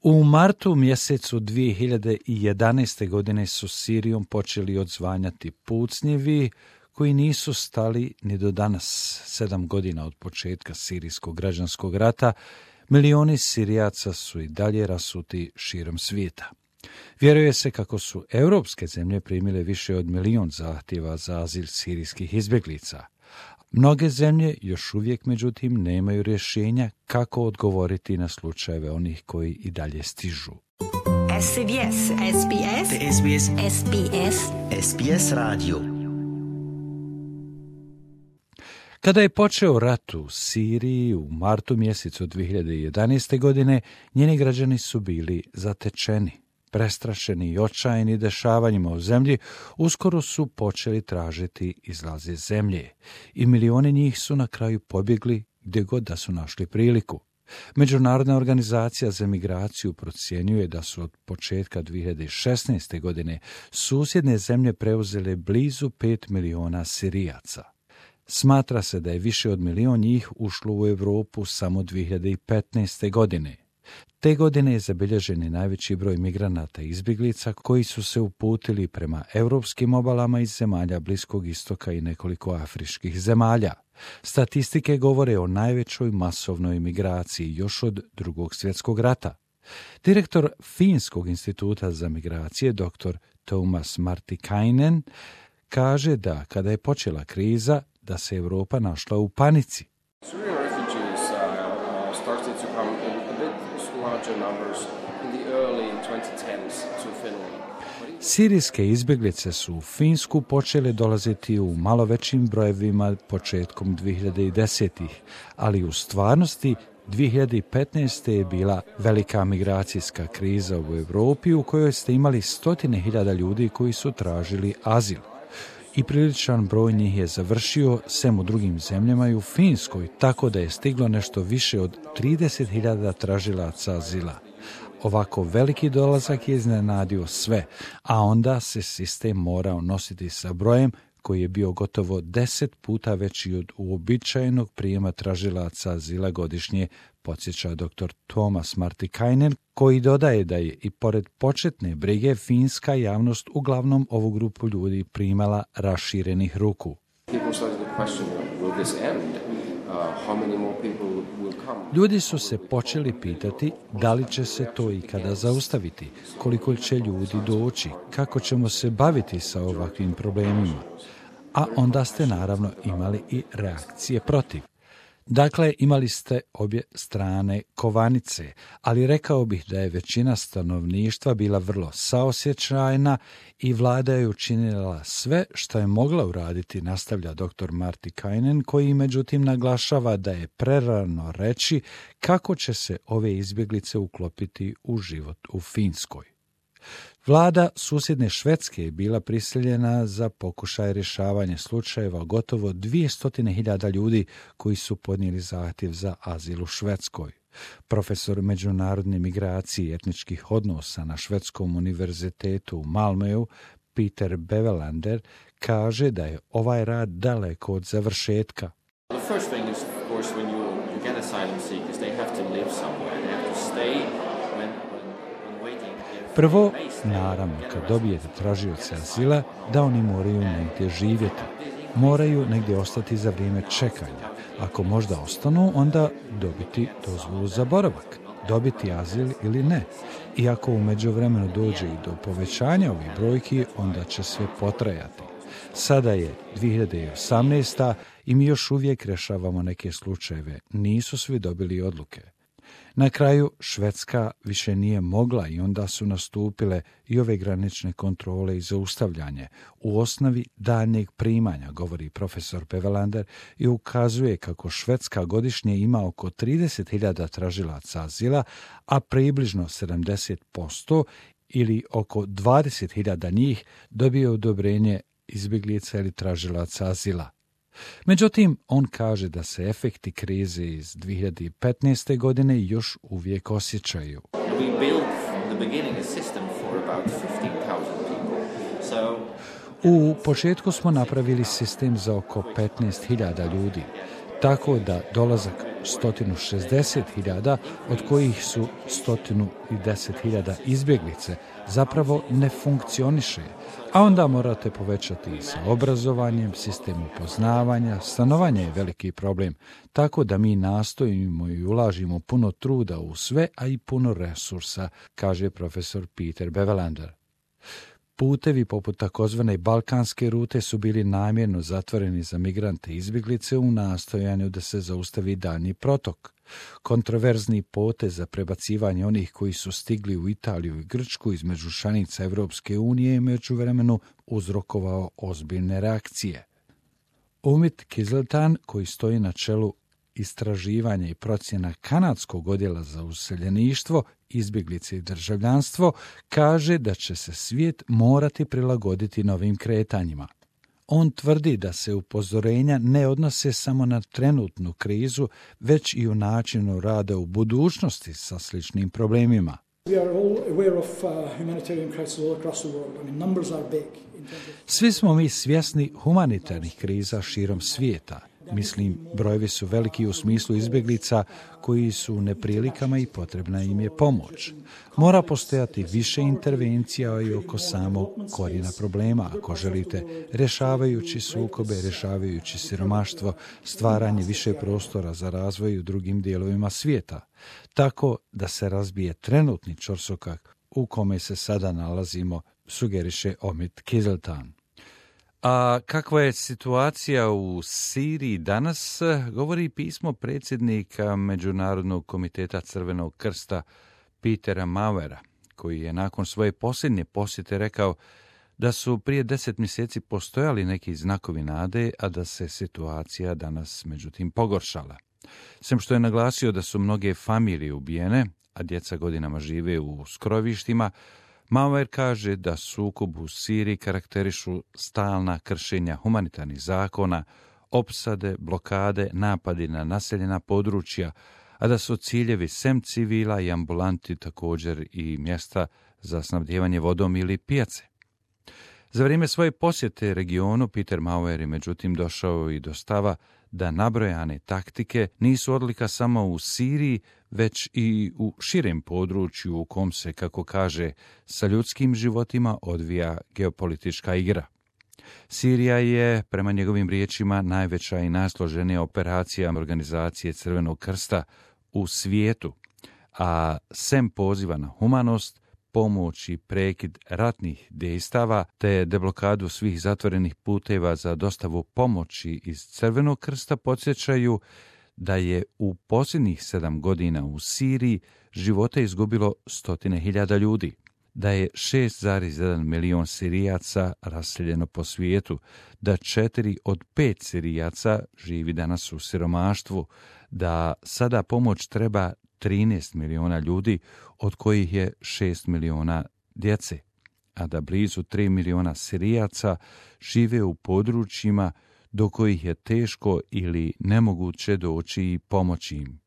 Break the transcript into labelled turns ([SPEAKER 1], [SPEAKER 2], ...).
[SPEAKER 1] U martu mjesecu 2011. godine su Sirijom počeli odzvanjati pucnjevi koji nisu stali ni do danas. 7 godina od početka sirijskog građanskog rata, milioni Sirijaca su i dalje rasuti širom svijeta. Vjeruje se kako su europske zemlje primile više od 1 milion zahtjeva za azil sirijskih izbjeglica. Mnoge zemlje još uvijek, međutim, nemaju rješenja kako odgovoriti na slučajeve onih koji i dalje stižu.
[SPEAKER 2] SBS radio.
[SPEAKER 1] Kada je počeo rat u Siriji u martu mjesecu 2011. godine, njeni građani su bili zatečeni. Prestrašeni i očajni dešavanjima u zemlji, uskoro su počeli tražiti izlaz iz zemlje i milioni njih su na kraju pobjegli gdje god da su našli priliku. Međunarodna organizacija za migraciju procjenjuje da su od početka 2016. godine susjedne zemlje preuzele blizu 5 miliona Sirijaca. Smatra se da je više od 1 milion njih ušlo u Europu samo 2015. godine. Te godine je zabilježen najveći broj migranata i izbjeglica koji su se uputili prema europskim obalama iz zemalja Bliskog istoka i nekoliko afričkih zemalja. Statistike govore o najvećoj masovnoj migraciji još od Drugog svjetskog rata. Direktor Finskog instituta za migracije, dr. Tuomas Martikainen, kaže da kada je počela kriza, da se Europa našla u panici. Sirijske izbjeglice su u Finsku počele dolaziti u malo većim brojevima početkom 2010-ih, ali u stvarnosti 2015. je bila velika migracijska kriza u Europi u kojoj ste imali 100.000 ljudi koji su tražili azil. I priličan broj njih je završio sem u drugim zemljama i u Finskoj, tako da je stiglo nešto više od 30.000 tražilaca azila. Ovako veliki dolazak je iznenadio sve, a onda se sistem morao nositi sa brojem koji je bio gotovo 10 puta veći od uobičajenog prijema tražilaca azila godišnje, podsjeća dr. Tuomas Martikainen, koji dodaje da je i pored početne brige finska javnost uglavnom ovu grupu ljudi primala raširenih ruku. Ljudi su se počeli pitati da li će se to ikada zaustaviti, koliko će ljudi doći, kako ćemo se baviti sa ovakvim problemima. A onda ste naravno imali i reakcije protiv. Dakle, imali ste obje strane kovanice, ali rekao bih da je većina stanovništva bila vrlo saosjećajna i vlada je učinila sve što je mogla uraditi, nastavlja dr. Martikainen, koji međutim naglašava da je prerano reći kako će se ove izbjeglice uklopiti u život u Finskoj. Vlada susjedne Švedske je bila prisiljena za pokušaj rješavanja slučajeva gotovo 200.000 ljudi koji su podnijeli zahtjev za azil u Švedskoj. Profesor međunarodne migracije i etničkih odnosa na Švedskom univerzitetu u Malmöu, Peter Bevelander, kaže da je ovaj rad daleko od završetka. Prvo, naravno, kad dobijete tražioce azila, da oni moraju negdje živjeti. Moraju negdje ostati za vrijeme čekanja. Ako možda ostanu, onda dobiti dozvolu za boravak, dobiti azil ili ne. I ako u međuvremenu dođe i do povećanja ovih brojki, onda će sve potrajati. Sada je 2018. i mi još uvijek rješavamo neke slučajeve. Nisu svi dobili odluke. Na kraju Švedska više nije mogla i onda su nastupile i ove granične kontrole i zaustavljanje u osnovi daljnjeg primanja, govori profesor Bevelander i ukazuje kako Švedska godišnje ima oko 30.000 tražilaca azila, a približno 70% ili oko 20.000 njih dobije odobrenje izbjeglica ili tražilaca azila. Međutim, on kaže da se efekti krize iz 2015. godine još uvijek osjećaju. U početku smo napravili sistem za oko 15.000 ljudi. tako da dolazak 160.000, od kojih su 110.000 izbjeglice, zapravo ne funkcioniše, a onda morate povećati i sa obrazovanjem, sistem upoznavanja, stanovanje je veliki problem, tako da mi nastojimo i ulažimo puno truda u sve, a i puno resursa, kaže profesor Peter Bevelander. Putevi poput takozvane balkanske rute su bili namjerno zatvoreni za migrante i izbjeglice u nastojanju da se zaustavi daljnji protok. Kontroverzni potez za prebacivanje onih koji su stigli u Italiju i Grčku između članica Europske unije je međuvremenu uzrokovao ozbiljne reakcije. Umit Kiziltan, koji stoji na čelu istraživanja i procjena kanadskog odjela za useljeništvo, izbjeglice i državljanstvo, kaže da će se svijet morati prilagoditi novim kretanjima. On tvrdi da se upozorenja ne odnose samo na trenutnu krizu, već i u načinu rada u budućnosti sa sličnim problemima. Svi smo mi svjesni humanitarnih kriza širom svijeta. Mislim, brojevi su veliki u smislu izbjeglica koji su u neprilikama i potrebna im je pomoć. Mora postojati više intervencija i oko samog korijena problema, ako želite, rješavajući sukobe, rješavajući siromaštvo, stvaranje više prostora za razvoj u drugim dijelovima svijeta, tako da se razbije trenutni ćorsokak u kome se sada nalazimo, sugeriše Omid Kiziltan. A kakva je situacija u Siriji danas, govori pismo predsjednika Međunarodnog komiteta Crvenog krsta Petera Mauera, koji je nakon svoje posljednje posjete rekao da su prije 10 mjeseci postojali neki znakovi nade, a da se situacija danas međutim pogoršala. Sem što je naglasio da su mnoge familije ubijene, a djeca godinama žive u skrovištima, Mauer kaže da sukob u Siriji karakterišu stalna kršenja humanitarnih zakona, opsade, blokade, napadi na naseljena područja, a da su ciljevi sem civila i ambulanti također i mjesta za snabdijevanje vodom ili pijace. Za vrijeme svoje posjete regionu Peter Mauer je međutim došao i do stava da nabrojane taktike nisu odlika samo u Siriji, već i u širem području u kom se, kako kaže, sa ljudskim životima odvija geopolitička igra. Sirija je, prema njegovim riječima, najveća i najsloženija operacija organizacije Crvenog krsta u svijetu, a sem poziva na humanost, pomoć i prekid ratnih dejstava te deblokadu svih zatvorenih puteva za dostavu pomoći iz Crvenog krsta podsjećaju da je u posljednjih 7 godina u Siriji živote izgubilo 100.000 ljudi, da je 6,1 milion Sirijaca raseljeno po svijetu, da 4 od 5 Sirijaca živi danas u siromaštvu, da sada pomoć treba 13 miliona ljudi, od kojih je 6 miliona djece, a da blizu 3 miliona Sirijaca žive u područjima do kojih je teško ili nemoguće doći i pomoći im.